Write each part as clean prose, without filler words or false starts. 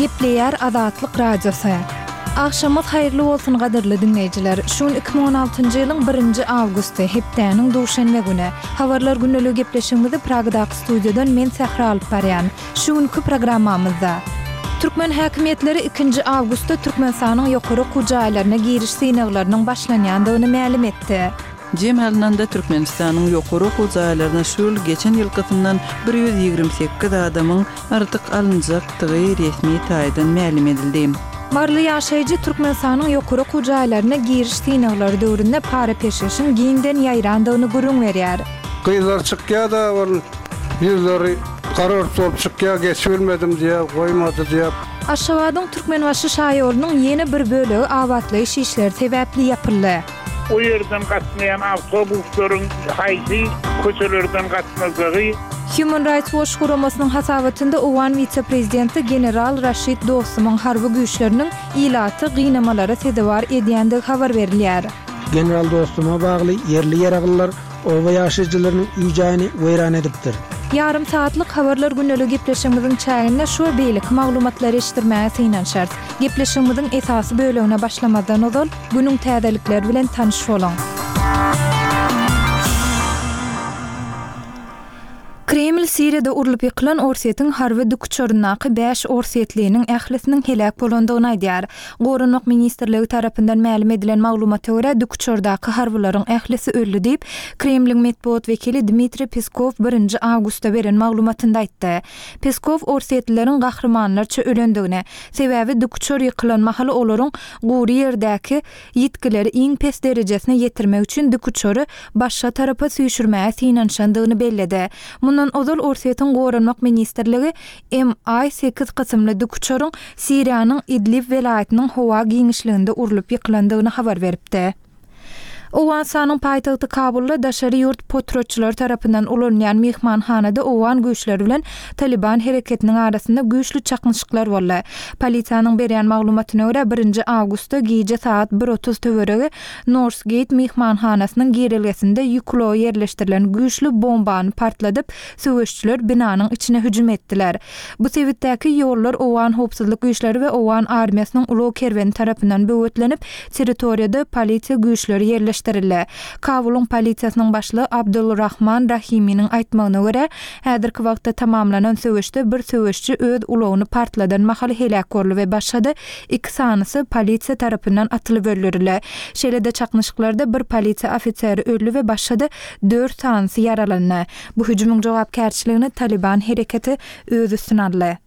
Gepleýär Azatlyk Radiosy. Agşamyňyz haýyrly bolsun gadyrly diňleýjiler. Şu gün 2016-njy ýylyň birinji awgusty, hepdäniň duşenbe güni. Habarlar gündeligi gepleşigimizi Pragadaky studiýadan men Sähra alyp barýan. Şu günki programmamyzda. Türkmen häkimiýetleri ikinji awgustda Türkmenistanyň ýokary okuw jaýlaryna giriş synaglarynyň başlanýandygyny mälim etdi. Jem alnanda, Türkmenistanyň ýokary okuw jaýlaryna şu ýyl geçen ýylkysyndan 128 adamyň artyk alynjakdygy resmi taýdan mälim edildi. Maryly ýaşaýjy Türkmenistanyň ýokary okuw jaýlaryna giriş synaglary döwründe para-peşgeşiň giňden ýaýrandygyny gürrüň berýär. Gyzlar çykýa-da ol ýüzleri gara-ört bolup çykýa, geçibilmedim diýýä, goýmady diýýä. Aşgabadyň Türkmenbaşy şaýolunyň ýene bir bölegi abatlaýyş işleri sebäpli ýapyldy. O ýerden gatnaýan awtobuslaryň haýsy köçelerden gatnajagy. Human Rights Watch guramasynyň hasabatynda owgan wise-prezidenti general Raşid Dostumyň harby güýçleriniň ilaty gynamalara sezewar edýändigi habar berilýär. General Dostuma bagly ýerli ýaraglylar oba ýaşaýjylarynyň öý-jaýyny weýran edipdir. Ýarym sagatlyk Habarlar gündeliği gepleşigimiziň çäginde şu we beýleki maglumatlary eşitdirmäge synanyşarys. Gepleşigimiziň esasy bölegine başlamazdan ozal, günüň täzelikleri bilen tanyş boluň. Kreml Siriýada urlup ýykylan Orsýetiň harby dikuçaryndaky bäş orsýetliniň ählisiniň heläk bolandygyny aýdýar. Goranmak ministrligi tarapyndan mälim edilen maglumata görä, dikuçardaky harbylaryň ählisi öldi diýip, Kremliň metbugat wekili Dmitriý Peskow birinji awgustda beren maglumatynda aýtdy. Peskow orsýetlileriň gahrymanlarça ölendigini, sebäbi dikuçar ýykylan mahaly olaryň gury ýerdäki ýitgileri iň pes derejesine ýetirmek üçin dikuçary başga tarapa süýşürmäge synanyşandygyny belledi. Mundan ozal Orsýetiň Goranmak ministrligi MI sekiz kysymly dikuçaryň Siriýanyň Idlib welaýatynyň howa giňişliginde urlup ýykylandygyny habar beripdi. Owganystanyň paýtagty Kabulda daşary ýurt potratçylary tarapyndan ulanylýan myhmanhanada owgan güýçleri bilen Talyban hereketiniň arasynda güýçli çaknyşyklar boldy. Polisiýanyň berýän maglumatyna görä, birinji awgustda gije sagat bir 30 töweregi Norsgeýt myhmanhanasynyň girelgesinde ýük ulagy ýerleşdirilen güýçli bombany partladyp, söweşçiler binanyň içine hüjüm etdiler. Bu sebitdäki ýollar owgan howpsuzlyk güýçleri we owgan armiýasynyň ulag kerweni tarapyndan böwetlenip, territoriýada polisiýa güýçleri ýerleşdirildi. Kabulyň polisiýasynyň başlygy Abdul Rahman Rahiminiň aýtmagyna görä, häzirki wagtda tamamlanan söweşde bir söweşçi öz ulagyny partladan mahaly heläk boldy we başga-da iki sanysy polisiýa tarapyndan atylyp öldürildi. Şeýle-de çaknyşyklarda bir polisiýa ofiseri öldi we başga-da dört sanysy ýaralandy. Bu hüjümiň jogapkärçiligini Talyban hereketi öz üstüne aldy.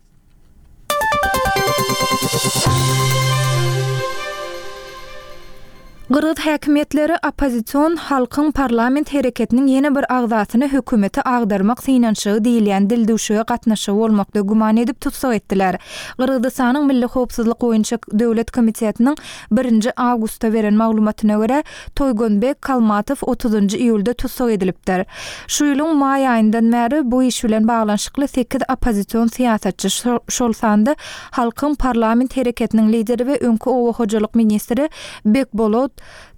Gyrgyz häkimiýetleri oppozision Halkyň parlament hereketiniň ýene bir agzasyny hökümeti agdarmak synanyşygy diýilýän dildüwşüge gatnaşygy bolmakda güman edip tussag etdiler. Gyrgyzystanyň Milli howpsuzlyk boýunça döwlet komitetiniň birinji awgustda beren maglumatyna görä, Toýgonbek Kalmatow otuzynjy iýulda tussag edilipdir. Şu ýylyň maý aýyndan bäri bu iş bilen baglanyşykly sekiz oppozision syýasatçy, şol sanda Halkyň parlament hereketiniň lideri we öňki oba hojalyk ministri Bekbolot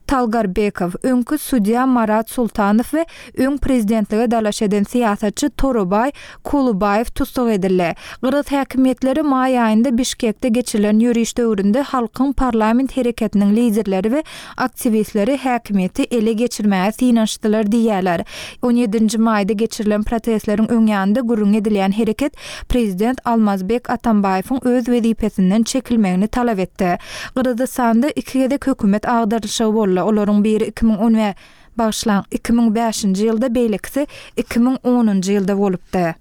Talgarbekow, öňki sudýa Marat Sultanow we öň prezidentlige dalaş eden syýasatçy Torobaý Kulubaýew tussag edildi. Gyrgyz häkimiýetleri maý aýynda Bişkekde geçirilen ýöriş döwründe Halkyň parlament hereketiniň liderleri we aktiwistleri häkimiýeti ele geçirmäge synanyşdylar diýýärler. On ýedinji maýda geçirilen protestleriň öň ýanynda gürrüňi edilýän hereket prezident Almazbek Atambaýewiň öz wezipesinden çekilmegini talap etdi. Gyrgyzystanda iki gezek hökümet agdarylyşygy boldy. Olaryň biri 2010 bagyşlaň, 2005-nji ýylda, beýlekisi 2010-njy ýylda bolupdy.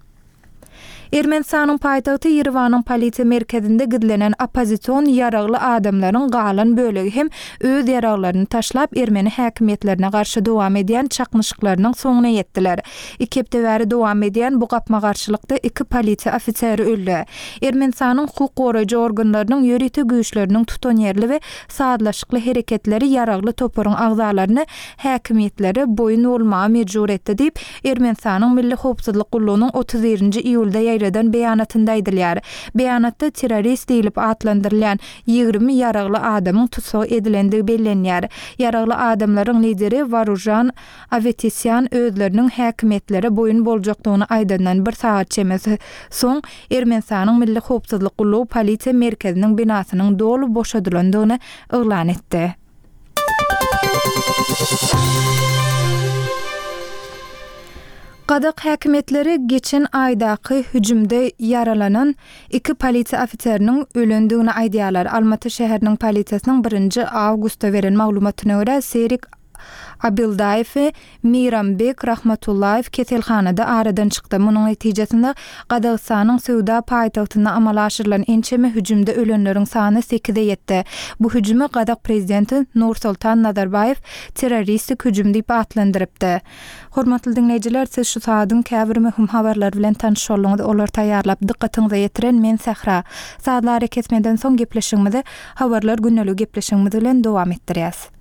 Ermenistanyň paýtagty Ýerewanyň polisiýa merkezinde gizlenen oppozision ýaragly adamlaryň galan bölegi hem öz ýaraglaryny taşlap, ermeni häkimiýetlerine garşy dowam edýän çaknyşyklarynyň soňuna ýetdiler. Iki hepde bäri dowam edýän bu gapma-garşylykda iki polisiýa ofiseri öldi. Ermenistanyň hukuk goraýjy organlarynyň ýörite güýçleriniň tutanýerli we sazlaşykly hereketleri ýaragly toparyň agzalaryny häkimiýetlere boýun bolmaga mejbur etdi diýip, Ermenistanyň Milli howpsuzlyk gullugynyň 31 nji iýulda ýaýradan. ýaýradan beýanatynda aýdylýar. Beýanatda terrorist diýlip atlandyrylýan 20 ýaragly adamyň tussag edilendigi bellenýär. Ýaragly adamlaryň lideri Waružan Awetisýan özleriniň häkimiýetlere boýun boljakdygyny aýdandan bir sagat çemesi soň, Ermenistanyň Milli howpsuzlyk gullugy polisiýa merkeziniň binasynyň doly boşadylandygyny yglan etdi. Gazak häkimiýetleri geçen aýdaky hüjümde ýaralanan iki polisiýa ofiseriniň ölendigini aýdýarlar. Almaty şäheriniň polisiýasynyň birinji awgustda beren maglumatyna görä, Serik Abildaýew we Meýrambek Rahmatullaýew keselhanada aradan çykdy. Munuň netijesinde, Gazagystanyň söwda paýtagtynda amala aşyrylan ençeme hüjümde ölenleriň sany sekize ýetdi. Bu hüjümi gazak prezidenti Nursultan Nazarbaýew terroristik hüjüm diýip atlandyrypdy. Hormatly diňleýjiler, siz şu saadyň käbir möhüm habarlary bilen tanyş bolduňyz. Olary taýýarlap, dykgatyňyza ýetiren men Sähra. Sazly arakesmeden soň gepleşigimizi Habarlar gündeligi gepleşigimiz bilen dowam etdirýäs.